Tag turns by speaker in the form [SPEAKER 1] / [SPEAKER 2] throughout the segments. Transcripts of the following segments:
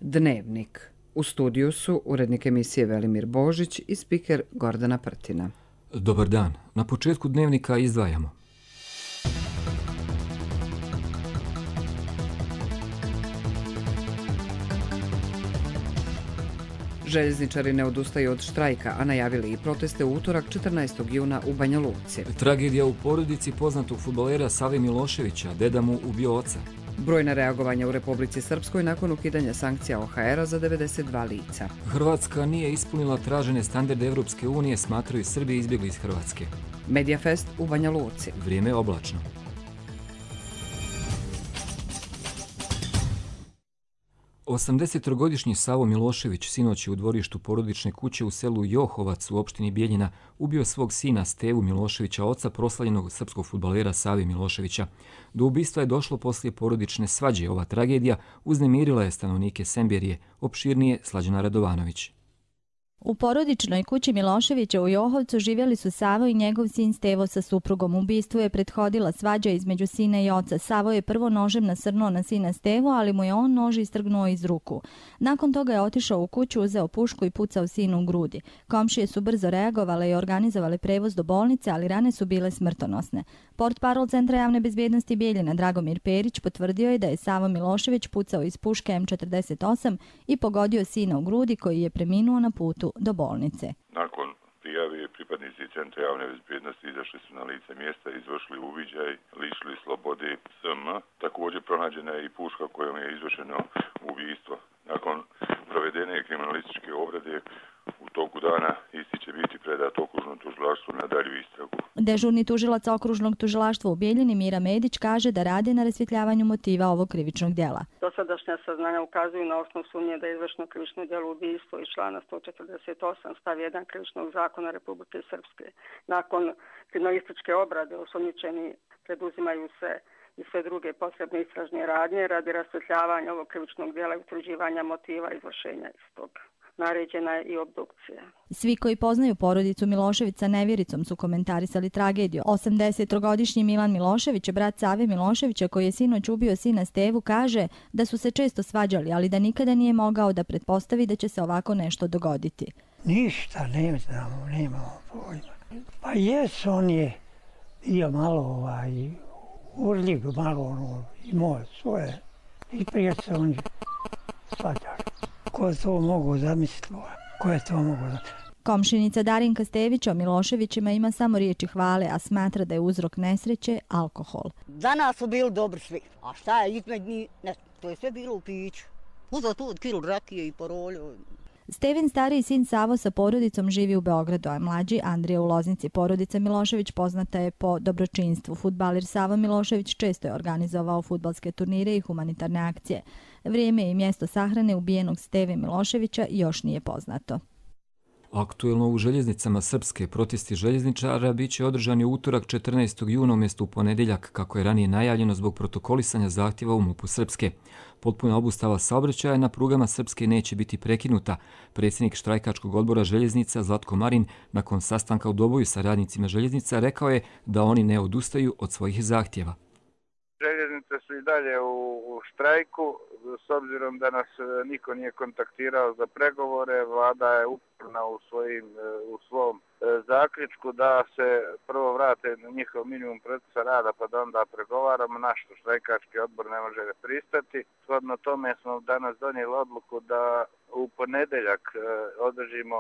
[SPEAKER 1] Dnevnik. U studiju su urednik emisije Velimir Božić i spiker Gordana Prtina.
[SPEAKER 2] Dobar dan. Na početku Dnevnika izdvajamo.
[SPEAKER 1] Željezničari ne odustaju od štrajka, a najavili i proteste u utorak 14. juna u Banja Luci.
[SPEAKER 2] Tragedija u porodici poznatog fudbalera Save Miloševića, deda mu ubio oca.
[SPEAKER 1] Brojna reagovanja u Republici Srpskoj nakon ukidanja sankcija OHR-a za 92 lica.
[SPEAKER 2] Hrvatska nije ispunila tražene standarde Evropske unije, smatraju Srbi izbjegli iz Hrvatske.
[SPEAKER 1] Mediafest u Banja Luci.
[SPEAKER 2] Vrijeme je oblačno. Osamdesetogodišnji Savo Milošević sinoć je u dvorištu porodične kuće u selu Johovac u opštini Bijeljina ubio svog sina Stevu Miloševića, oca proslavljenog srpskog fudbalera Save Miloševića. Do ubistva je došlo poslije porodične svađe. Ova tragedija uznemirila je stanovnike Semberije, opširnije Slađana Radovanović.
[SPEAKER 3] U porodičnoj kući Miloševića u Johovcu živjeli su Savo i njegov sin Stevo sa suprugom. Ubistvu je prethodila svađa između sina i oca. Savo je prvo nožem nasrnuo na sina Stevo, ali mu je on nož istrgnuo iz ruku. Nakon toga je otišao u kuću, uzeo pušku i pucao sinu u grudi. Komšije su brzo reagovale i organizovale prevoz do bolnice, ali rane su bile smrtonosne. Portparol Centra javne bezbjednosti Bijeljina Dragomir Perić potvrdio je da je Savo Milošević pucao iz puške M48 i pogodio sina u grudi, koji je preminuo na putu do bolnice.
[SPEAKER 4] Nakon prijave pripadnici Centra javne bezbjednosti izašli su na lice mjesta i izvršili uviđaj, lišili slobode SM. Također pronađena je i puška kojom je izvršeno ubistvo. Nakon provedene kriminalističke obrade u toku dana isti će biti predat okružnom tužilaštvu na dalju istragu.
[SPEAKER 3] Dežurni tužilac okružnog tužilaštva u Bijeljini Mira Medić kaže da radi na rasvjetljavanju motiva ovog krivičnog djela.
[SPEAKER 5] Dosadašnja saznanja ukazuju na osnovu sumnje da je izvršeno krivično djelo ubistvo iz člana 148 stav 1 krivičnog zakona Republike Srpske. Nakon kriminalističke obrade osumnjičeni preduzimaju se i sve druge potrebne istražne radnje radi rasvjetljavanja ovog krivičnog djela i utvrđivanja motiva izvršenja istog. Naređena je i obdukcija.
[SPEAKER 3] Svi koji poznaju porodicu Milošević sa nevjericom su komentarisali tragediju. 80-godišnji Milan Milošević, brat Save Miloševića koji je sinoć ubio sina Stevu, kaže da su se često svađali, ali da nikada nije mogao da pretpostavi da će se ovako nešto dogoditi.
[SPEAKER 6] Ništa ne znamo, nemamo pojma. Pa jes, on je bio malo urljiv, malo imao svoje i prije se on svađali. Ko je to mogu zamisliti? Ko je to mogu zamisliti?
[SPEAKER 3] Komšinica Darinka Stević o Miloševićima ima samo riječi hvale, a smatra da je uzrok nesreće alkohol.
[SPEAKER 7] Danas su bili dobri svi, a šta je između njih? Ne, to je sve bilo u piću. Uzeo tu od kilu rakije i parolju.
[SPEAKER 3] Stevin stariji sin Savo sa porodicom živi u Beogradu, a mlađi Andrija u Loznici. Porodica Milošević poznata je po dobročinstvu. Fudbaler Savo Milošević često je organizovao fudbalske turnire i humanitarne akcije. Vrijeme i mjesto sahrane ubijenog Steve Miloševića još nije poznato.
[SPEAKER 2] Aktuelno u željeznicama Srpske protesti željezničara bit će održani u utorak 14. juna umjesto u ponedjeljak, kako je ranije najavljeno zbog protokolisanja zahtjeva u MUP-u Srpske. Potpuna obustava saobraćaja na prugama Srpske neće biti prekinuta. Predsjednik štrajkačkog odbora željeznica Zlatko Marin nakon sastanka u Doboju sa radnicima željeznica rekao je da oni ne odustaju od svojih zahtjeva.
[SPEAKER 8] Željeznice su i dalje u štrajku, s obzirom da nas niko nije kontaktirao za pregovore. Vlada je uporna u svom zaključku da se prvo vrate na njihov minimum procesa rada pa da onda pregovaramo. Naš štrajkački odbor ne može pristati. Shodno tome smo danas donijeli odluku da u ponedjeljak održimo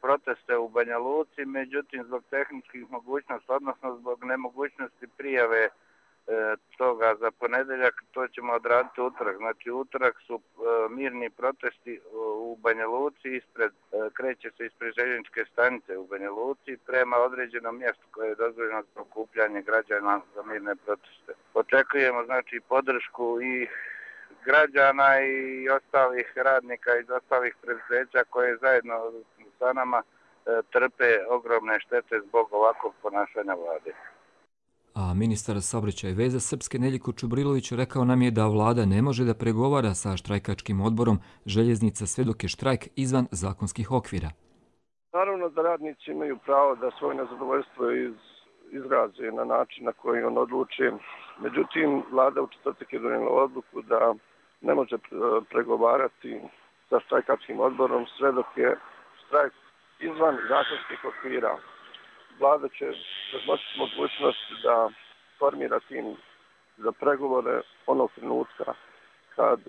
[SPEAKER 8] proteste u Banja Luci, međutim zbog tehničkih mogućnosti, odnosno zbog nemogućnosti prijave toga za ponedjeljak, to ćemo odraditi utorak. Znači utorak su mirni protesti u Banja Luci, kreće se ispred željezničke stanice u Banja Luci prema određenom mjestu koje je dozvoljeno za okupljanje građana za mirne proteste. Očekujemo znači podršku i građana i ostalih radnika iz ostalih preduzeća koje zajedno sa nama trpe ogromne štete zbog ovakvog ponašanja vlade.
[SPEAKER 2] A ministar saobraćaja i veza Srpske Neljko Čubrilović rekao nam je da vlada ne može da pregovara sa štrajkačkim odborom željeznica sve dok je štrajk izvan zakonskih okvira.
[SPEAKER 9] Naravno da radnici imaju pravo da svoje nezadovoljstvo izraze na način na koji on odluče. Međutim, vlada u četvrtak je donijela odluku da ne može pregovarati sa štrajkačkim odborom sve dok je štrajk izvan zakonskih okvira. Vlada će razmotriti mogućnost da formira tim za pregovore onog trenutka kad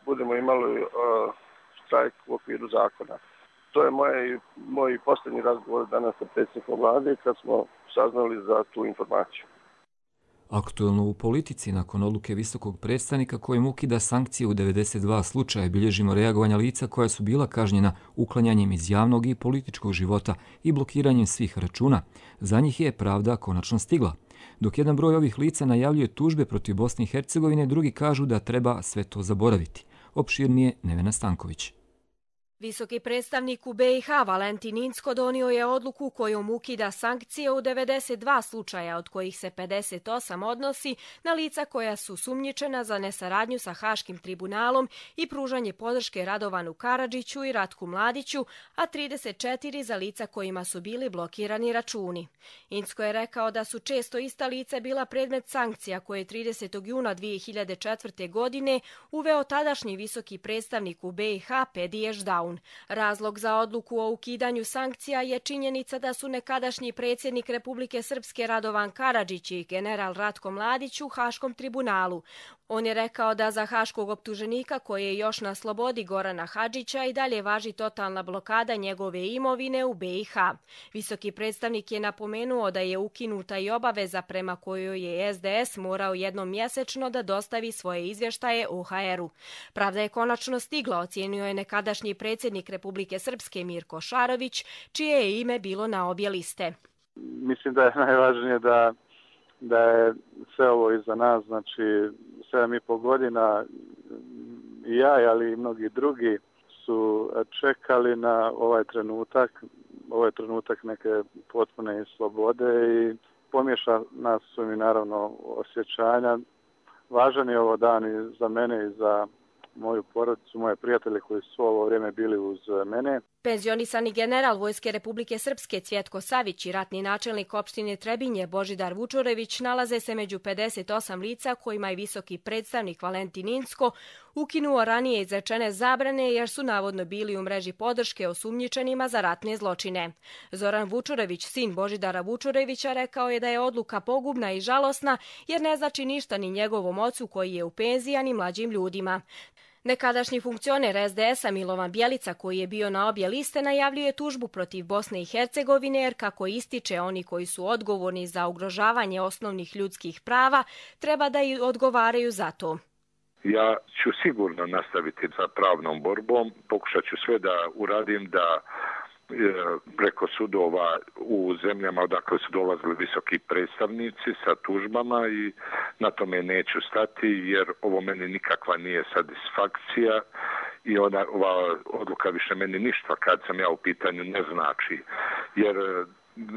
[SPEAKER 9] budemo imali štrajk u okviru zakona. To je moj posljednji razgovor danas sa predsjednikom vlade kad smo saznali za tu informaciju.
[SPEAKER 2] Aktuelno u politici, nakon odluke visokog predstavnika kojim ukida sankcije u 92 slučaja, bilježimo reagovanja lica koja su bila kažnjena uklanjanjem iz javnog i političkog života i blokiranjem svih računa. Za njih je pravda konačno stigla. Dok jedan broj ovih lica najavljuje tužbe protiv Bosne i Hercegovine, drugi kažu da treba sve to zaboraviti. Opširnije Nevena Stanković.
[SPEAKER 10] Visoki predstavnik u BiH Valentin Incko donio je odluku kojom ukida sankcije u 92 slučaja, od kojih se 58 odnosi na lica koja su sumnjičena za nesaradnju sa Haškim tribunalom i pružanje podrške Radovanu Karadžiću i Ratku Mladiću, a 34 za lica kojima su bili blokirani računi. Incko je rekao da su često ista lica bila predmet sankcija koje je 30. juna 2004. godine uveo tadašnji visoki predstavnik u BiH Pedi Ešdaun. Razlog za odluku o ukidanju sankcija je činjenica da su nekadašnji predsjednik Republike Srpske Radovan Karadžić i general Ratko Mladić u Haškom tribunalu. On je rekao da za haškog optuženika koji je još na slobodi Gorana Hadžića i dalje važi totalna blokada njegove imovine u BiH. Visoki predstavnik je napomenuo da je ukinuta i obaveza prema kojoj je SDS morao jednom mjesečno da dostavi svoje izvještaje OHR-u. Pravda je konačno stigla, ocijenio je nekadašnji predsjednik Republike Srpske Mirko Šarović, čije je ime bilo na obje liste.
[SPEAKER 8] Mislim da je najvažnije da je sve ovo iza nas, znači 7,5 godina i ja, ali i mnogi drugi su čekali na ovaj trenutak neke potpune slobode i pomješa nas su mi naravno osjećanja. Važan je ovo dan i za mene i za moju porodicu, moje prijatelje koji su ovo vrijeme bili uz mene.
[SPEAKER 10] Penzionisani general Vojske Republike Srpske Cvjetko Savić i ratni načelnik opštine Trebinje Božidar Vučurević nalaze se među 58 lica kojima je visoki predstavnik Valentin Incko ukinuo ranije izrečene zabrane jer su navodno bili u mreži podrške osumnjičenima za ratne zločine. Zoran Vučurević, sin Božidara Vučurevića, rekao je da je odluka pogubna i žalosna jer ne znači ništa ni njegovom ocu koji je u penziji, ni mlađim ljudima. Nekadašnji funkcioner SDS-a Milovan Bjelica, koji je bio na obje liste, najavljuje tužbu protiv Bosne i Hercegovine jer, kako ističe, oni koji su odgovorni za ugrožavanje osnovnih ljudskih prava treba da i odgovaraju za to.
[SPEAKER 4] Ja ću sigurno nastaviti sa pravnom borbom, pokušat ću sve da uradim da preko sudova u zemljama odakle su dolazili visoki predstavnici sa tužbama i na tome neću stati jer ovo meni nikakva nije satisfakcija i ova odluka više meni ništa kad sam ja u pitanju ne znači jer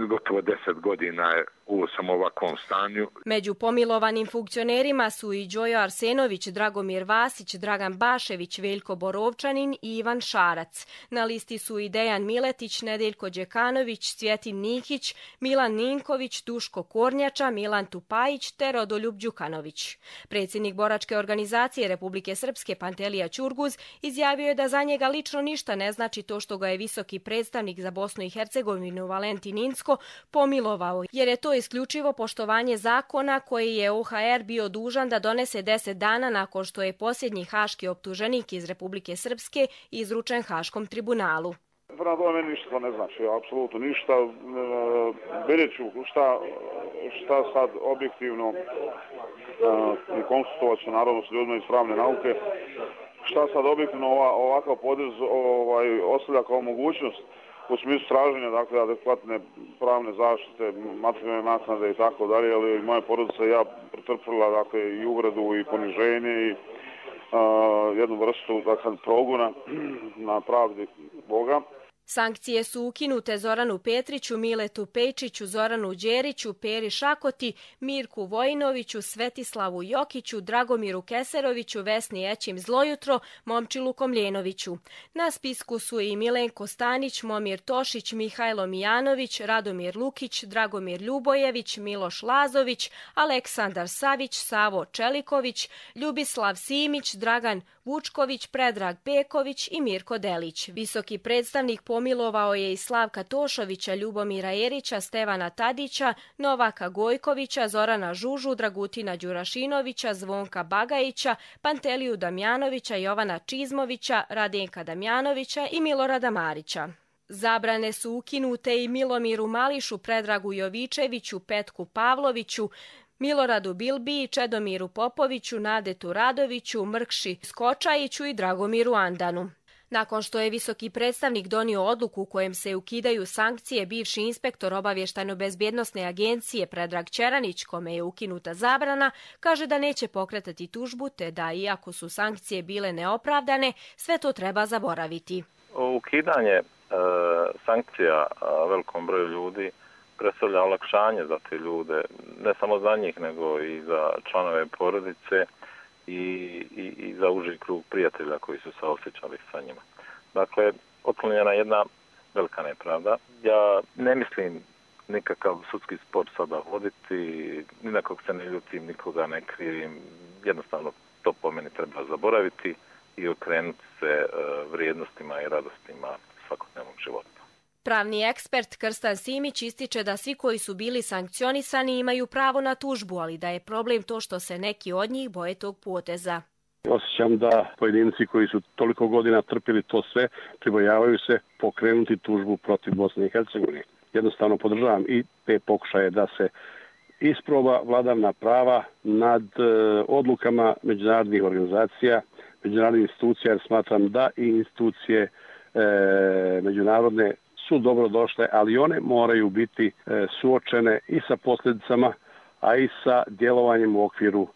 [SPEAKER 4] gotovo 10 godina je u samo ovakvom stanju.
[SPEAKER 10] Među pomilovanim funkcionerima su i Đojo Arsenović, Dragomir Vasić, Dragan Bašević, Veljko Borovčanin i Ivan Šarac. Na listi su i Dejan Miletić, Nedeljko Đekanović, Cvjetin Nikić, Milan Ninković, Duško Kornjača, Milan Tupajić te Rodoljub Đukanović. Predsjednik boračke organizacije Republike Srpske Pantelija Ćurguz izjavio je da za njega lično ništa ne znači to što ga je visoki predstavnik za Bosnu i Hercegovinu Valentin Incko pomilovao, jer je to isključivo poštovanje zakona koji je OHR bio dužan da donese 10 dana nakon što je posljednji haški optuženik iz Republike Srpske izručen Haškom tribunalu.
[SPEAKER 11] Prema tome meni ništa to ne znači, apsolutno ništa. Vidjet ću šta sad objektivno i konsultovat ću naravno s ljudima iz pravne nauke, šta sad objektivno ovakav podrez ostavlja kao mogućnost u smislu traženja, dakle, adekvatne pravne zaštite, materijalne naknade i tako dalje, ali moja porodica i ja pretrpila, dakle, i uvredu i poniženje i jednu vrstu, dakle, progona na pravdi Boga.
[SPEAKER 10] Sankcije su ukinute Zoranu Petriću, Miletu Pejčiću, Zoranu Đeriću, Peri Šakoti, Mirku Vojinoviću, Svetislavu Jokiću, Dragomiru Keseroviću, Vesni Ećim Zlojutro, Momčilu Komljenoviću. Na spisku su i Milenko Stanić, Momir Tošić, Mihajlo Mijanović, Radomir Lukić, Dragomir Ljubojević, Miloš Lazović, Aleksandar Savić, Savo Čeliković, Ljubislav Simić, Dragan Vučković, Predrag Peković i Mirko Delić. Visoki predstavnik pomilovao je i Slavka Tošovića, Ljubomira Erića, Stevana Tadića, Novaka Gojkovića, Zorana Žužu, Dragutina Đurašinovića, Zvonka Bagajića, Panteliju Damjanovića, Jovana Čizmovića, Radenka Damjanovića i Milorada Marića. Zabrane su ukinute i Milomiru Mališu, Predragu Jovičeviću, Petku Pavloviću, Miloradu Bilbiji, Čedomiru Popoviću, Nadetu Radoviću, Mrkši Skočajiću i Dragomiru Andanu. Nakon što je visoki predstavnik donio odluku u kojem se ukidaju sankcije, bivši inspektor Obavještajno-bezbjednosne agencije Predrag Ćeranić, kome je ukinuta zabrana, kaže da neće pokretati tužbu, te da iako su sankcije bile neopravdane, sve to treba zaboraviti.
[SPEAKER 12] Ukidanje sankcija velikom broju ljudi predstavlja olakšanje za te ljude, ne samo za njih, nego i za članove porodice i za uži krug prijatelja koji su se osjećali sa njima. Dakle, otklonjena jedna velika nepravda. Ja ne mislim nikakav sudski spor sada voditi, ni na kog se ne ljutim, nikoga ne krivim, jednostavno to po meni treba zaboraviti i okrenuti se vrijednostima i radostima svakodnevnog života.
[SPEAKER 10] Pravni ekspert Krstan Simić ističe da svi koji su bili sankcionisani imaju pravo na tužbu, ali da je problem to što se neki od njih boje tog poteza.
[SPEAKER 13] Osjećam da pojedinci koji su toliko godina trpili to sve, pribojavaju se pokrenuti tužbu protiv Bosne i Hercegovine. Jednostavno podržavam i te pokušaje da se isproba vladavina prava nad odlukama međunarodnih organizacija, međunarodnih institucija, jer smatram da i institucije međunarodne su dobro došle, ali one moraju biti suočene i sa posljedicama, a i sa djelovanjem u okviru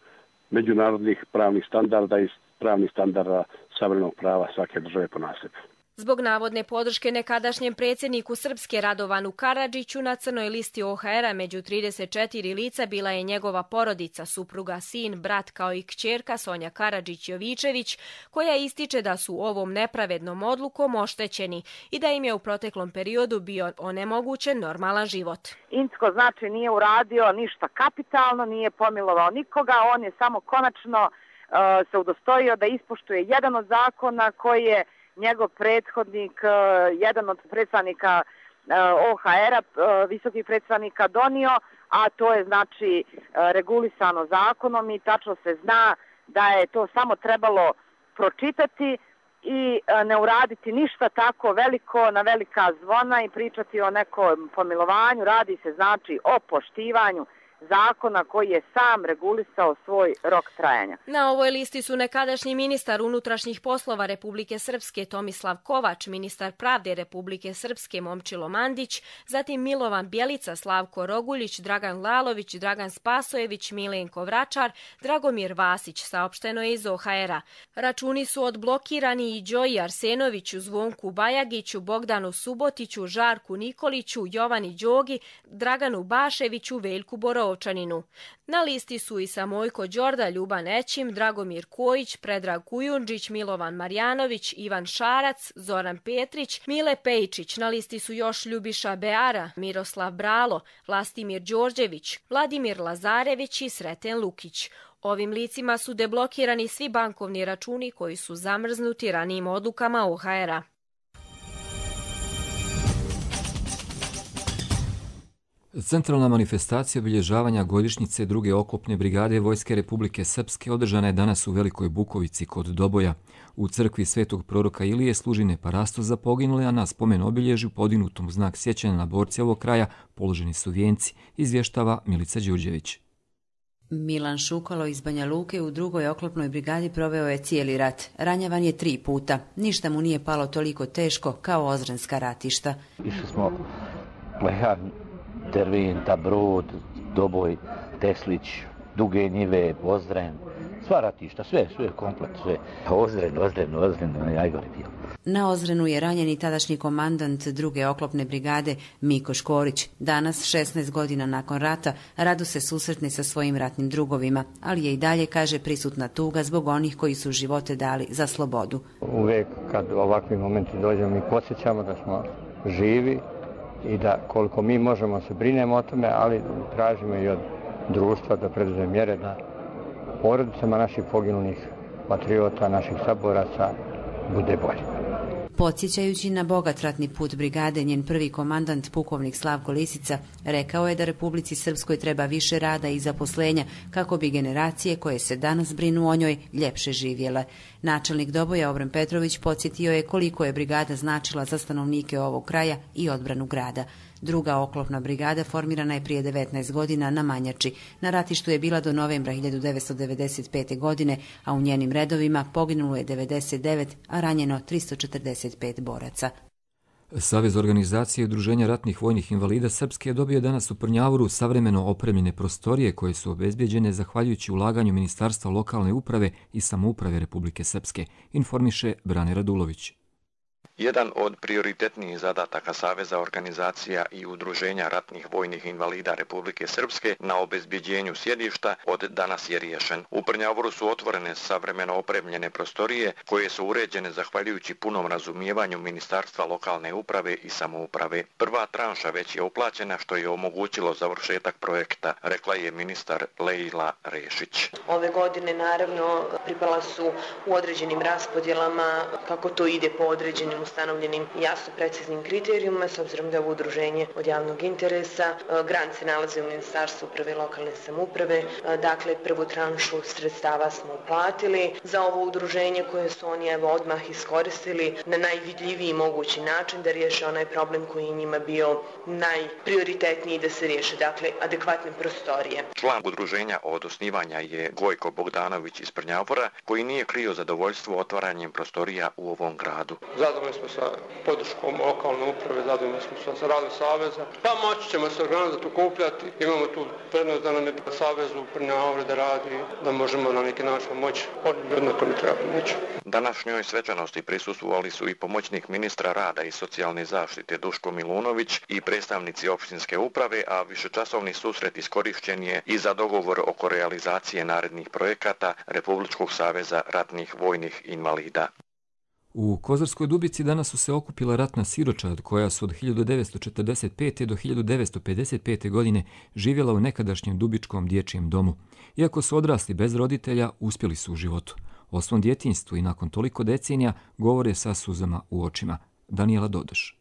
[SPEAKER 13] međunarodnih pravnih standarda i pravnih standarda savremenog prava svake države ponasebi.
[SPEAKER 10] Zbog navodne podrške nekadašnjem predsjedniku Srpske Radovanu Karadžiću na crnoj listi OHR-a među 34 lica bila je njegova porodica, supruga, sin, brat kao i kćerka Sonja Karadžić-Jovičević, koja ističe da su ovom nepravednom odlukom oštećeni i da im je u proteklom periodu bio onemogućen normalan život.
[SPEAKER 14] Incko znači nije uradio ništa kapitalno, nije pomilovao nikoga, on je samo konačno se udostojio da ispoštuje jedan od zakona koji je njegov prethodnik, jedan od predstavnika OHR-a, visokih predstavnika donio, a to je znači regulisano zakonom i tačno se zna da je to samo trebalo pročitati i ne uraditi ništa tako veliko na velika zvona i pričati o nekom pomilovanju. Radi se znači o poštivanju zakona koji je sam regulisao svoj rok trajanja.
[SPEAKER 10] Na ovoj listi su nekadašnji ministar unutrašnjih poslova Republike Srpske Tomislav Kovač, ministar pravde Republike Srpske Momčilo Mandić, zatim Milovan Bjelica, Slavko Roguljić, Dragan Lalović, Dragan Spasojević, Milenko Vračar, Dragomir Vasić, saopšteno je iz OHR-a. Računi su odblokirani i Đoji Arsenoviću, Zvonku Bajagiću, Bogdanu Subotiću, Žarku Nikoliću, Jovani Đogi, Draganu Baševiću, Veljku Borovu. Na listi su i Samojko Đorda, Ljuban Ećim, Dragomir Kojić, Predrag Kujundžić, Milovan Marjanović, Ivan Šarac, Zoran Petrić, Mile Pejčić. Na listi su još Ljubiša Beara, Miroslav Bralo, Vlastimir Đorđević, Vladimir Lazarević i Sreten Lukić. Ovim licima su deblokirani svi bankovni računi koji su zamrznuti ranijim odlukama OHR-a.
[SPEAKER 2] Centralna manifestacija obilježavanja godišnjice druge oklopne brigade Vojske Republike Srpske održana je danas u Velikoj Bukovici kod Doboja. U crkvi Svetog proroka Ilije služi neparasto za poginule, a na spomen obilježju podignutom u znak sjećanja na borce ovog kraja položeni su vijenci, izvještava Milica Đurđević.
[SPEAKER 15] Milan Šukalo iz Banja Luke u drugoj oklopnoj brigadi proveo je cijeli rat. Ranjavan je 3 puta. Ništa mu nije palo toliko teško kao Ozrenska ratišta.
[SPEAKER 16] Išli smo Lehan, Tervin, Brod, Doboj, Teslić, Duge Njive, Ozren, Sva ratišta, sve komplet, sve. Ozren, najgore bio.
[SPEAKER 15] Na Ozrenu je ranjen i tadašnji komandant druge oklopne brigade Miko Škorić. Danas, 16 godina nakon rata, rado se susretne sa svojim ratnim drugovima, ali je i dalje, kaže, prisutna tuga zbog onih koji su živote dali za slobodu.
[SPEAKER 17] Uvijek kad ovakvi momenti dođemo mi podsjećamo da smo živi i da koliko mi možemo se brinemo o tome, ali tražimo i od društva da preduzme mjere da porodicama naših poginulih patriota, naših saboraca bude bolje.
[SPEAKER 15] Podsjećajući na bogat ratni put brigade, njen prvi komandant, pukovnik Slavko Lisica, rekao je da Republici Srpskoj treba više rada i zaposlenja kako bi generacije koje se danas brinu o njoj ljepše živjele. Načelnik Doboja Obren Petrović podsjetio je koliko je brigada značila za stanovnike ovog kraja i odbranu grada. Druga oklopna brigada formirana je prije 19 godina na Manjači. Na ratištu je bila do novembra 1995. godine, a u njenim redovima poginulo je 99, a ranjeno 345 boraca.
[SPEAKER 2] Savez organizacije i udruženja ratnih vojnih invalida Srpske je dobio danas u Prnjavoru savremeno opremljene prostorije koje su obezbjeđene zahvaljujući ulaganju Ministarstva lokalne uprave i samouprave Republike Srpske, informiše Brane Radulović.
[SPEAKER 18] Jedan od prioritetnijih zadataka Saveza organizacija i udruženja ratnih vojnih invalida Republike Srpske na obezbjeđenju sjedišta od danas je riješen. U Prnjavoru su otvorene savremeno opremljene prostorije koje su uređene zahvaljujući punom razumijevanju Ministarstva lokalne uprave i samouprave. Prva tranša već je uplaćena što je omogućilo završetak projekta, rekla je ministar Lejla Rešić.
[SPEAKER 19] Ove godine naravno pripala su u određenim raspodjelama kako to ide po određenim ustanovljenim jasno preciznim kriterijuma, s obzirom da je ovo udruženje od javnog interesa. Grant se nalazi u Ministarstvu uprave i lokalne samouprave. Dakle, prvu tranšu sredstava smo uplatili za ovo udruženje koje su oni odmah iskoristili na najvidljiviji mogući način da riješe onaj problem koji je njima bio najprioritetniji da se riješe, dakle, adekvatne prostorije.
[SPEAKER 18] Član udruženja od osnivanja je Gojko Bogdanović iz Prnjavora, koji nije krio zadovoljstvo otvaranjem prostorija u ovom gradu.
[SPEAKER 20] Zadovoljni smo sa podrškom lokalne uprave, zadovoljni smo sa radom Saveza. Pa moći ćemo se organizati, okupljati. Imamo tu prednost da nam je Savez u Prnjavoru da radi, da možemo na neki način moći jednako ne treba pomoći.
[SPEAKER 18] Današnjoj svečanosti prisustvovali su i pomoćnik ministra rada i socijalne zaštite Duško Milunović i predstavnici opštinske uprave, a višečasovni susret iskorišćen je i za dogovor oko realizacije narednih projekata Republičkog saveza ratnih vojnih invalida.
[SPEAKER 2] U Kozarskoj Dubici danas su se okupila ratna siročad koja su od 1945. do 1955. godine živjela u nekadašnjem Dubičkom dječjem domu. Iako su odrasli bez roditelja, uspjeli su u životu. O svom djetinjstvu i nakon toliko decenija govore sa suzama u očima. Danijela Dodoš.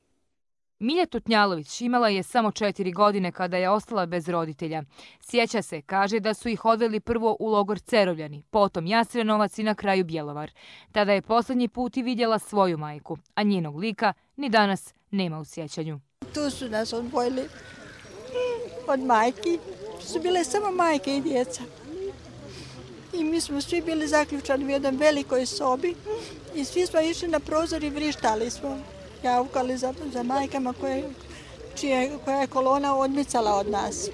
[SPEAKER 21] Milja Tutnjalović imala je samo 4 godine kada je ostala bez roditelja. Sjeća se, kaže da su ih odveli prvo u logor Cerovljani, potom Jasrenovac i na kraju Bjelovar. Tada je posljednji put i vidjela svoju majku, a njenog lika ni danas nema u sjećanju.
[SPEAKER 22] Tu su nas odvojili od majki, su bile samo majke i djeca. I mi smo svi bili zaključani u jednoj velikoj sobi i svi smo išli na prozor i vrištali smo. Javkali za majkama koja je kolona odmicala od nas.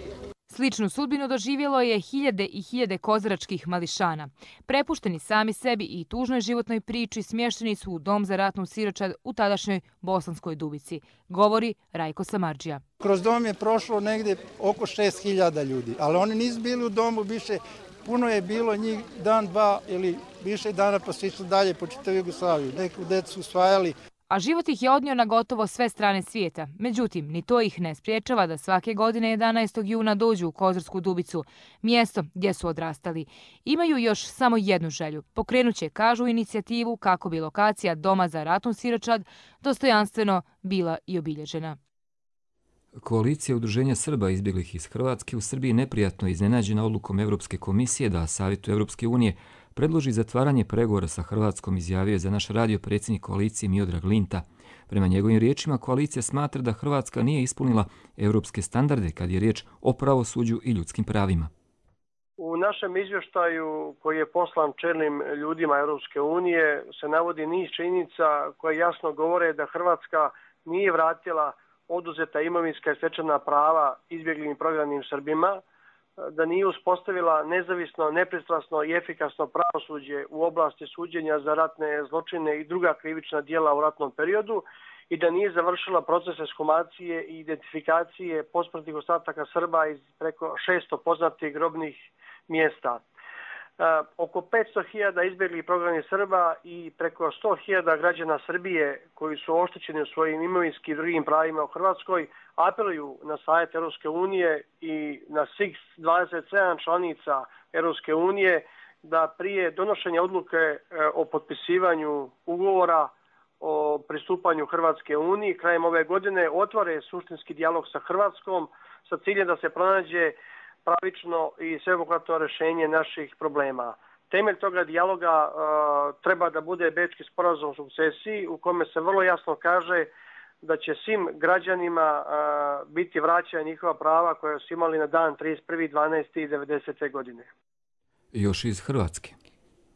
[SPEAKER 21] Sličnu sudbinu doživjelo je hiljade i hiljade kozaračkih mališana. Prepušteni sami sebi i tužnoj životnoj priči smješteni su u dom za ratnu siročad u tadašnjoj Bosanskoj Dubici, govori Rajko Samardžija.
[SPEAKER 23] Kroz dom je prošlo negdje oko 6.000 ljudi, ali oni nisu bili u domu više. Puno je bilo njih dan, dva ili više dana pa su išli dalje po čitavu Jugoslaviju. Neku decu usvajali.
[SPEAKER 21] A život ih je odnio na gotovo sve strane svijeta. Međutim, ni to ih ne spriječava da svake godine 11. juna dođu u Kozarsku Dubicu, mjesto gdje su odrastali. Imaju još samo jednu želju. Pokrenuće, kažu, inicijativu kako bi lokacija Doma za ratnu siročad dostojanstveno bila i obilježena.
[SPEAKER 2] Koalicija udruženja Srba izbjeglih iz Hrvatske u Srbiji neprijatno iznenađena odlukom Europske komisije da Savjetu Europske unije predloži zatvaranje pregovora sa Hrvatskom, izjavio je za naš radio predsjednik koalicije Miodrag Linta. Prema njegovim riječima, koalicija smatra da Hrvatska nije ispunila europske standarde kad je riječ o pravosuđu i ljudskim pravima.
[SPEAKER 24] U našem izvještaju koji je poslan čelnim ljudima Europske unije se navodi niz činjenica koje jasno govore da Hrvatska nije vratila oduzeta imovinska i stečena prava izbjeglim i prognanim Srbima. da nije uspostavila nezavisno, nepristrasno i efikasno pravosuđe u oblasti suđenja za ratne zločine i druga krivična djela u ratnom periodu i da nije završila proces ekshumacije i identifikacije posmrtnih ostataka Srba iz preko 600 poznatih grobnih mjesta. Oko 500.000 izbjeglih prognanih Srba i preko 100.000 građana Srbije koji su oštećeni u svojim imovinskim i drugim pravima u Hrvatskoj apeluju na Savjet Europske unije i na svih 27 članica Europske unije da prije donošenja odluke o potpisivanju ugovora o pristupanju Hrvatske uniji krajem ove godine otvore suštinski dijalog sa Hrvatskom sa ciljem da se pronađe pravično i sveobuhvatno rješenje naših problema. Temelj toga dijaloga treba da bude Bečki sporazum o sukcesiji u kome se vrlo jasno kaže da će svim građanima biti vraćena njihova prava koja su imali na dan 31.12.1990. godine.
[SPEAKER 2] Još iz Hrvatske.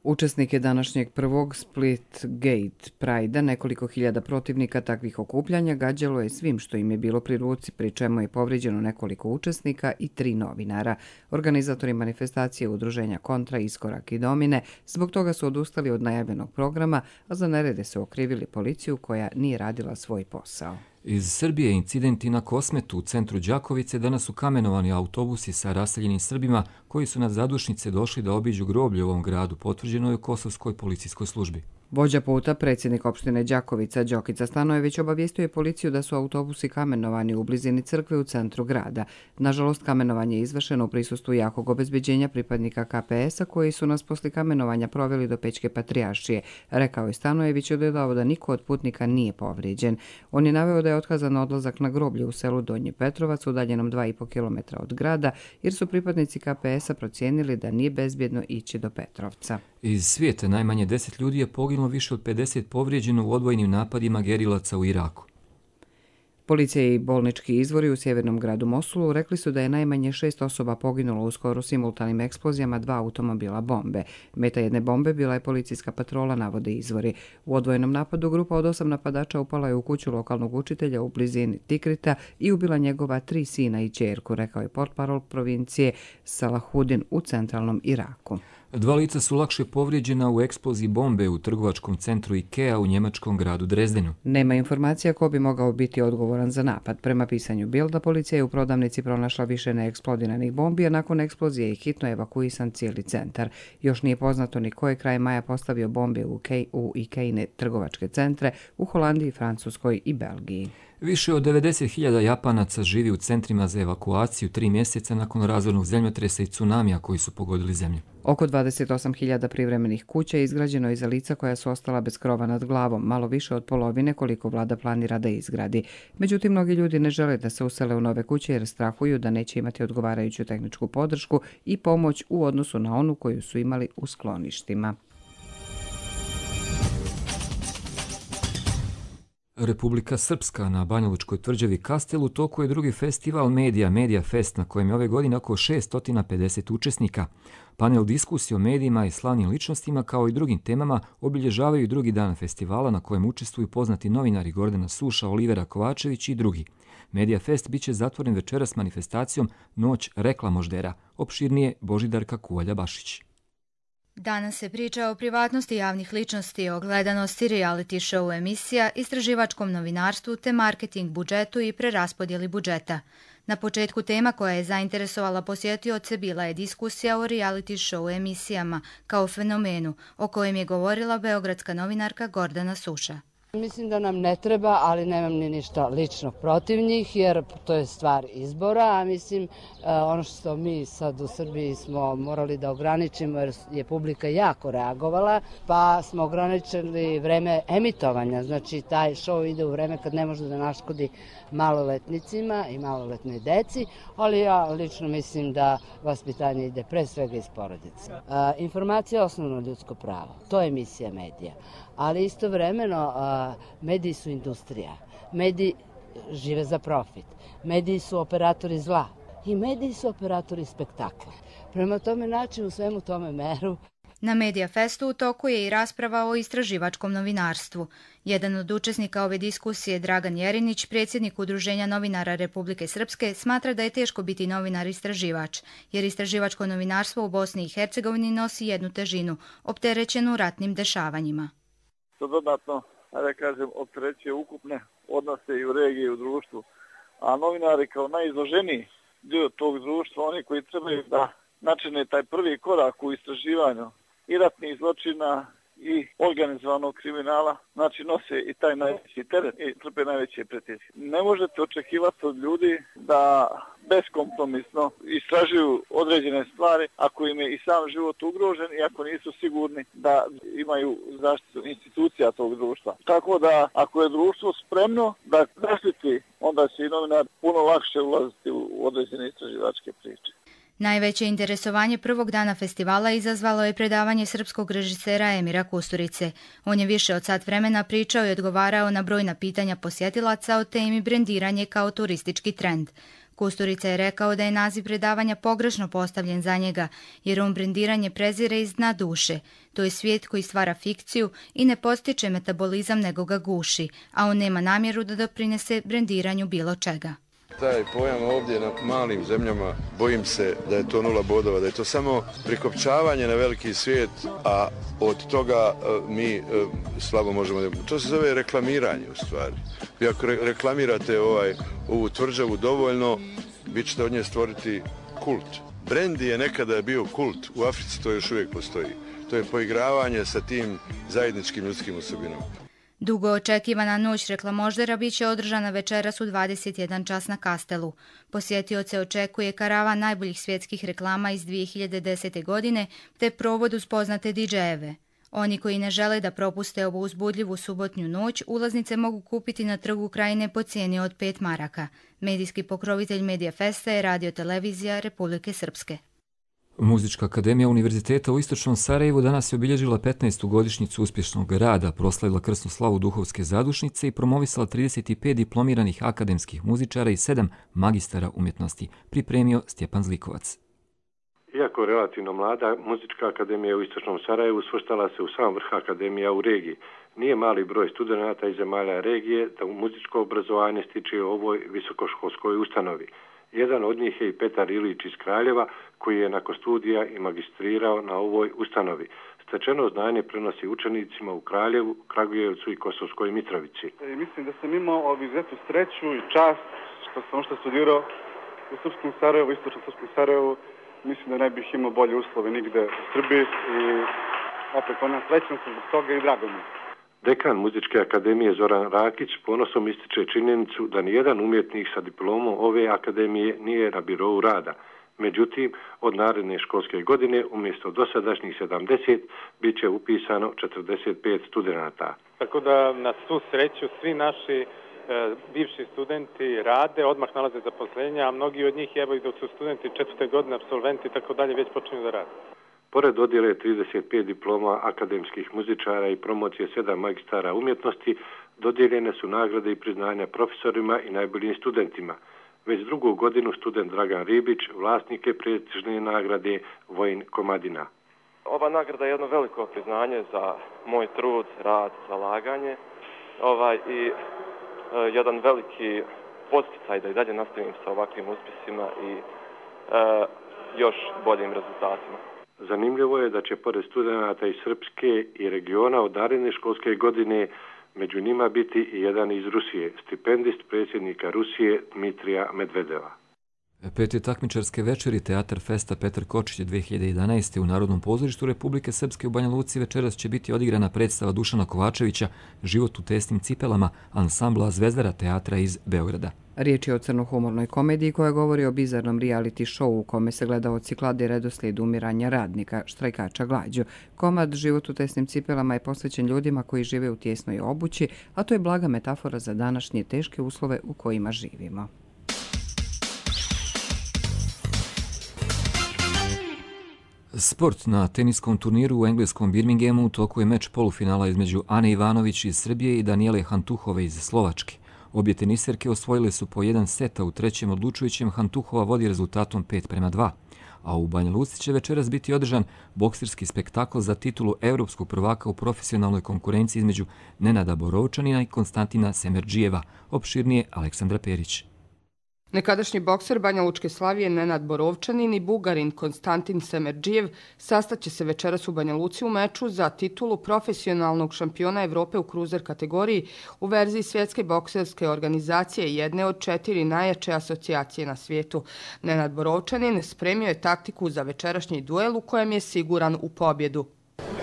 [SPEAKER 1] Učesnike današnjeg prvog Split Gate Pride-a, nekoliko hiljada protivnika takvih okupljanja gađalo je svim što im je bilo pri ruci, pri čemu je povrijeđeno nekoliko učesnika i 3 novinara. Organizatori manifestacije udruženja Kontra, Iskorak i Domine zbog toga su odustali od najavljenog programa, a za nerede su okrivili policiju koja nije radila svoj posao.
[SPEAKER 2] Iz Srbije incidenti na Kosmetu u centru Đakovice danas su kamenovani autobusi sa raseljenim Srbima koji su na zadušnice došli da obiđu groblje u ovom gradu, potvrđeno je u Kosovskoj policijskoj službi.
[SPEAKER 1] Vođa puta, predsjednik opštine Đakovica Đokica Stanojević obavijestio je policiju da su autobusi kamenovani u blizini crkve u centru grada. Nažalost, kamenovanje je izvršeno u prisustvu jakog obezbeđenja pripadnika KPS-a koji su nas posle kamenovanja proveli do Pećke patrijaršije, rekao je Stanojević i dodao da niko od putnika nije povrijeđen. On je naveo da je otkazan odlazak na groblje u selu Donji Petrovac, udaljenom 2,5 km od grada, jer su pripadnici KPS-a procijenili da nije bezbjedno ići do Petrovca.
[SPEAKER 2] Iz svijeta najmanje 10 ljudi je poginulo, više od 50 povrijeđeno u odvojnim napadima gerilaca u Iraku.
[SPEAKER 1] Policija i bolnički izvori u sjevernom gradu Mosulu rekli su da je najmanje 6 osoba poginulo u skoro simultanim eksplozijama 2 automobila bombe. Meta jedne bombe bila je policijska patrola, navode izvori. U odvojenom napadu grupa od 8 napadača upala je u kuću lokalnog učitelja u blizini Tikrita i ubila njegova 3 sina i ćerku, rekao je portparol provincije Salahudin u centralnom Iraku.
[SPEAKER 2] 2 lica su lakše povrijeđena u eksploziji bombe u trgovačkom centru IKEA u njemačkom gradu Drezdenu.
[SPEAKER 1] Nema informacija ko bi mogao biti odgovoran za napad. Prema pisanju Bilda, policija je u prodavnici pronašla više neeksplodiranih bombi, a nakon eksplozije je hitno evakuisan cijeli centar. Još nije poznato ni ko je kraj maja postavio bombe u IKEA-ine trgovačke centre u Holandiji, Francuskoj i Belgiji.
[SPEAKER 2] Više od 90.000 Japanaca živi u centrima za evakuaciju 3 mjeseca nakon razornog zemljotresa i tsunamija koji su pogodili zemlju.
[SPEAKER 1] Oko 28.000 privremenih kuća je izgrađeno i za lica koja su ostala bez krova nad glavom, malo više od polovine koliko vlada planira da izgradi. Međutim, mnogi ljudi ne žele da se usele u nove kuće jer strahuju da neće imati odgovarajuću tehničku podršku i pomoć u odnosu na onu koju su imali u skloništima.
[SPEAKER 2] Republika Srpska na Banjalučkoj tvrđavi Kastel u toku je drugi festival Media Fest na kojem je ove godine oko 650 učesnika. Panel diskusije o medijima i slavnim ličnostima kao i drugim temama obilježavaju drugi dan festivala na kojem učestvuju poznati novinari Gordana Suša, Olivera Kovačević i drugi. Media Fest biće zatvoren večeras manifestacijom Noć reklamoždera. Opširnije Božidarka Kuvalja-Bašić.
[SPEAKER 3] Danas se priča o privatnosti javnih ličnosti, o gledanosti reality show emisija, istraživačkom novinarstvu te marketing budžetu i preraspodjeli budžeta. Na početku tema koja je zainteresovala posjetioce bila je diskusija o reality show emisijama kao fenomenu, o kojem je govorila beogradska novinarka Gordana Suša.
[SPEAKER 5] Mislim da nam ne treba, ali nemam ni ništa lično protiv njih, jer to je stvar izbora, a mislim ono što mi sad u Srbiji smo morali da ograničimo, jer je publika jako reagovala, pa smo ograničili vreme emitovanja, znači taj show ide u vreme kad ne može da naškodi maloletnicima i maloletnoj deci, ali ja lično mislim da vaspitanje ide pre svega iz porodice. Informacija je osnovno ljudsko pravo, to je misija medija. Ali istovremeno mediji su industrija, mediji žive za profit, mediji su operatori zla i mediji su operatori spektakla. Prema tome naći u svemu tome meru.
[SPEAKER 3] Na Mediafestu u toku je i rasprava o istraživačkom novinarstvu. Jedan od učesnika ove diskusije, Dragan Jerinić, predsjednik Udruženja novinara Republike Srpske, smatra da je teško biti novinar-istraživač, jer istraživačko novinarstvo u Bosni i Hercegovini nosi jednu težinu, opterećenu ratnim dešavanjima.
[SPEAKER 6] To dodatno, da kažem, opterećuje ukupne odnose i u regiji i u društvu, a novinari kao najizloženiji dio tog društva, oni koji trebaju da načine taj prvi korak u istraživanju i ratnih zločina i organizovanog kriminala, znači nose i taj najveći teret i trpe najveće pretnje. Ne možete očekivati od ljudi da beskompromisno istražuju određene stvari ako im je i sam život ugrožen i ako nisu sigurni da imaju zaštitu institucija tog društva. Tako da ako je društvo spremno da zaštiti, onda će i novinar puno lakše ulaziti u određene istraživačke priče.
[SPEAKER 3] Najveće interesovanje prvog dana festivala izazvalo je predavanje srpskog režisera Emira Kusturice. On je više od sat vremena pričao i odgovarao na brojna pitanja posjetilaca o temi brendiranje kao turistički trend. Kusturica je rekao da je naziv predavanja pogrešno postavljen za njega, jer on brendiranje prezire iz dna duše. To je svijet koji stvara fikciju i ne postiče metabolizam nego ga guši, a on nema namjeru da doprinese brendiranju bilo čega.
[SPEAKER 7] Taj pojam ovdje na malim zemljama, bojim se da je to 0 bodova, da je to samo prikopčavanje na veliki svijet, a od toga mi slabo možemo... To se zove reklamiranje u stvari. Vi ako reklamirate ovu tvrđavu dovoljno, vi ćete od nje stvoriti kult. Brendi je nekada bio kult, u Africi to još uvijek postoji. To je poigravanje sa tim zajedničkim ljudskim osobinama.
[SPEAKER 3] Dugo očekivana noć reklamoždera bit će održana večeras u 21 čas na Kastelu. Posjetioce očekuje karavan najboljih svjetskih reklama iz 2010. godine te provod uz poznate DJ-eve. Oni koji ne žele da propuste ovu uzbudljivu subotnju noć, ulaznice mogu kupiti na Trgu Krajine po cijeni od 5 maraka. Medijski pokrovitelj Mediafesta je Radio-televizija Republike Srpske.
[SPEAKER 2] Muzička akademija Univerziteta u Istočnom Sarajevu danas je obilježila 15. godišnjicu uspješnog rada, proslavila krsnu slavu Duhovske zadušnice i promovisala 35 diplomiranih akademskih muzičara i 7 magistara umjetnosti, pripremio Stjepan Zlikovac.
[SPEAKER 8] Iako relativno mlada, Muzička akademija u Istočnom Sarajevu svrstala se u sam vrh akademija u regiji. Nije mali broj studenata iz zemalja regije da u muzičko obrazovanje stiče u ovoj visokoškolskoj ustanovi. Jedan od njih je i Petar Ilić iz Kraljeva, koji je nakon studija i magistrirao na ovoj ustanovi. Stečeno znanje prenosi učenicima u Kraljevu, Kragujevcu i Kosovskoj Mitrovici.
[SPEAKER 9] Mislim da sam imao izuzetnu sreću i čast što studirao u Srpskom Sarajevu, Istočnom Srpskom Sarajevu. Mislim da ne bih imao bolje uslove nigde u Srbiji i opet srećan sam zbog toga i drago mi.
[SPEAKER 8] Dekan Muzičke akademije Zoran Rakić ponosom ističe činjenicu da nijedan umjetnik sa diplomom ove akademije nije na birou rada. Međutim, od naredne školske godine umjesto dosadašnjih 70 bit će upisano 45 studenata.
[SPEAKER 25] Tako da na svu sreću svi naši bivši studenti rade, odmah nalaze zaposlenja, a mnogi od njih evo i dok su studenti 4. godine apsolventi i tako dalje već počinju da rade.
[SPEAKER 8] Pored dodjele 35 diploma akademskih muzičara i promocije 7 magistara umjetnosti, dodijeljene su nagrade i priznanja profesorima i najboljim studentima. Već drugu godinu student Dragan Ribić vlasnik je prestižne nagrade Vojin Komadina.
[SPEAKER 26] Ova nagrada je jedno veliko priznanje za moj trud, rad, zalaganje i jedan veliki podsticaj da i dalje nastavim sa ovakvim uspjesima i još boljim rezultatima.
[SPEAKER 8] Zanimljivo je da će pored studenata iz Srpske i regiona od naredne školske godine među njima biti i jedan iz Rusije, stipendist predsjednika Rusije Dmitrija Medvedeva.
[SPEAKER 2] 5. takmičarske večeri Teatar Festa Petar Kočić 2011. u Narodnom pozorištu Republike Srpske u Banja Luci večeras će biti odigrana predstava Dušana Kovačevića Život u tesnim cipelama ansambla Zvezdara teatra iz Beograda.
[SPEAKER 1] Riječ je o crnohumornoj komediji koja govori o bizarnom reality showu u kome se gledaoci klade redoslijed umiranja radnika, štrajkača glađu. Komad Život u tesnim cipelama je posvećen ljudima koji žive u tjesnoj obući, a to je blaga metafora za današnje teške uslove u kojima živimo.
[SPEAKER 2] Sport. Na teniskom turniru u engleskom Birminghamu u toku je meč polufinala između Ane Ivanović iz Srbije i Danijele Hantuhove iz Slovačke. Obje teniserke osvojile su po jedan set, a u trećem odlučujućem Hantuhova vodi rezultatom 5:2. a u Banja Luci će večeras biti održan bokserski spektakl za titulu evropskog prvaka u profesionalnoj konkurenciji između Nenada Borovčanina i Konstantina Semerdžijeva. Opširnije Aleksandra Perić.
[SPEAKER 4] Nekadašnji bokser Banja Lučke Slavije Nenad Borovčanin i Bugarin Konstantin Semerdžijev sastaće se večeras u Banja Luci u meču za titulu profesionalnog šampiona Evrope u kruzer kategoriji u verziji Svjetske bokserske organizacije, jedne od 4 najjače asocijacije na svijetu. Nenad Borovčanin spremio je taktiku za večerašnji duel u kojem je siguran u pobjedu.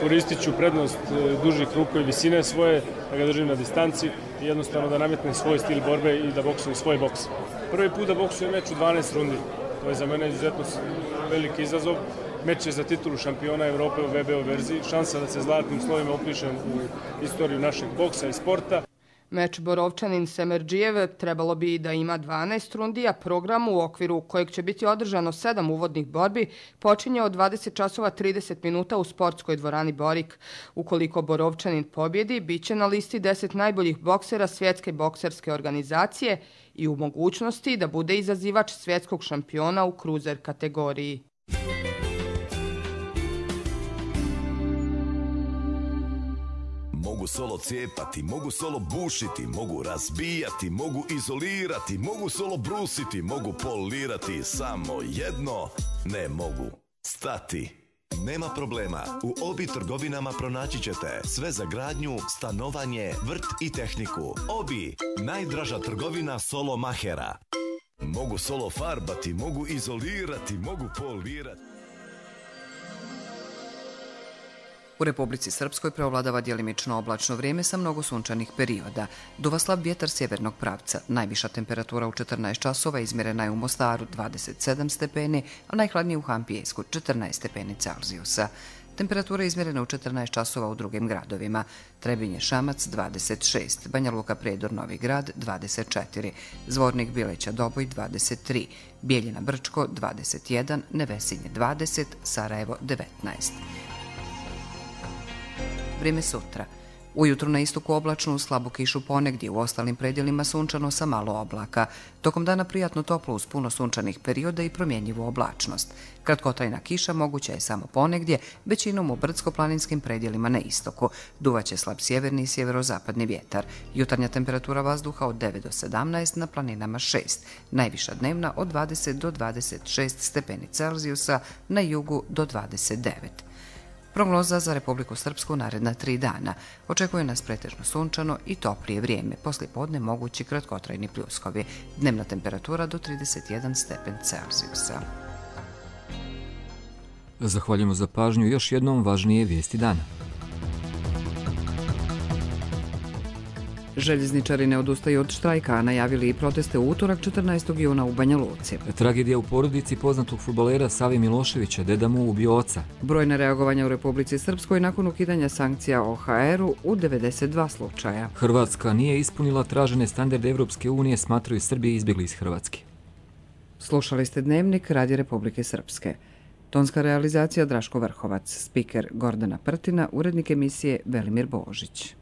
[SPEAKER 10] Koristit ću prednost dužih ruku i visine svoje, da ga držim na distanci i jednostavno da nametnem svoj stil borbe i da boksujem svoj boks. Prvi put da boksujem meč u 12 rundi. To je za mene izuzetno veliki izazov. Meč je za titulu šampiona Evrope u VBO verziji. Šansa da se zlatnim slovima upišem u istoriju našeg boksa i sporta.
[SPEAKER 4] Meč Borovčanin-Semerdžijev trebalo bi da ima 12 rundi, a program u okviru kojeg će biti održano 7 uvodnih borbi počinje od 20 časova 30 minuta u sportskoj dvorani Borik. Ukoliko Borovčanin pobjedi, bit će na listi 10 najboljih boksera Svjetske bokserske organizacije i u mogućnosti da bude izazivač svjetskog šampiona u kruzer kategoriji.
[SPEAKER 11] Mogu solo cijepati, mogu solo bušiti, mogu razbijati, mogu izolirati, mogu solo brusiti, mogu polirati, samo jedno ne mogu stati. Nema problema, u Obi trgovinama pronaći ćete sve za gradnju, stanovanje, vrt i tehniku. Obi, najdraža trgovina solo mahera. Mogu solo farbati, mogu izolirati, mogu polirati.
[SPEAKER 1] U Republici Srpskoj preovladava djelimično oblačno vrijeme sa mnogo sunčanih perioda. Duva slab vjetar sjevernog pravca. Najviša temperatura u 14 časova izmjerena je u Mostaru 27 stepeni, a najhladnije u Hampijesku 14 stepeni Celzijusa. Temperatura je izmjerena u 14 časova u drugim gradovima. Trebinje Šamac 26, Banja Luka Prijedor Novi Grad 24, Zvornik Bileća Doboj 23, Bijeljina Brčko 21, Nevesinje 20, Sarajevo 19. Vrijeme sutra. Ujutru na istoku oblačno, uz slabu kišu ponegdje, u ostalim predjelima sunčano sa malo oblaka. Tokom dana prijatno toplo uz puno sunčanih perioda i promjenjivu oblačnost. Kratkotrajna kiša moguća je samo ponegdje, većinom u brdsko-planinskim predjelima na istoku. Duvaće slab sjeverni i sjeverozapadni vjetar. Jutarnja temperatura vazduha od 9 do 17, na planinama 6. Najviša dnevna od 20 do 26 stepeni Celzijusa, na jugu do 29. Prognoza za Republiku Srpsku naredna 3 dana. Očekuje nas pretežno sunčano i toplije vrijeme. Poslijepodne mogući kratkotrajni pljuskovi. Dnevna temperatura do 31 stepen Celzijusa.
[SPEAKER 2] Zahvaljujemo za pažnju. Još jednom važnije vijesti dana.
[SPEAKER 1] Željezničari ne odustaju od štrajka, a najavili i proteste u utorak 14. juna u Banja Luci.
[SPEAKER 2] Tragedija u porodici poznatog fudbalera Savi Miloševića, deda mu ubio oca.
[SPEAKER 1] Brojna reagovanja u Republici Srpskoj nakon ukidanja sankcija OHR-u u 92 slučaja.
[SPEAKER 2] Hrvatska nije ispunila tražene standarde Evropske unije, smatraju Srbije izbjegli iz Hrvatske.
[SPEAKER 1] Slušali ste Dnevnik Radija Republike Srpske. Tonska realizacija Draško Vrhovac, spiker Gordana Prtina, urednik emisije Velimir Božić.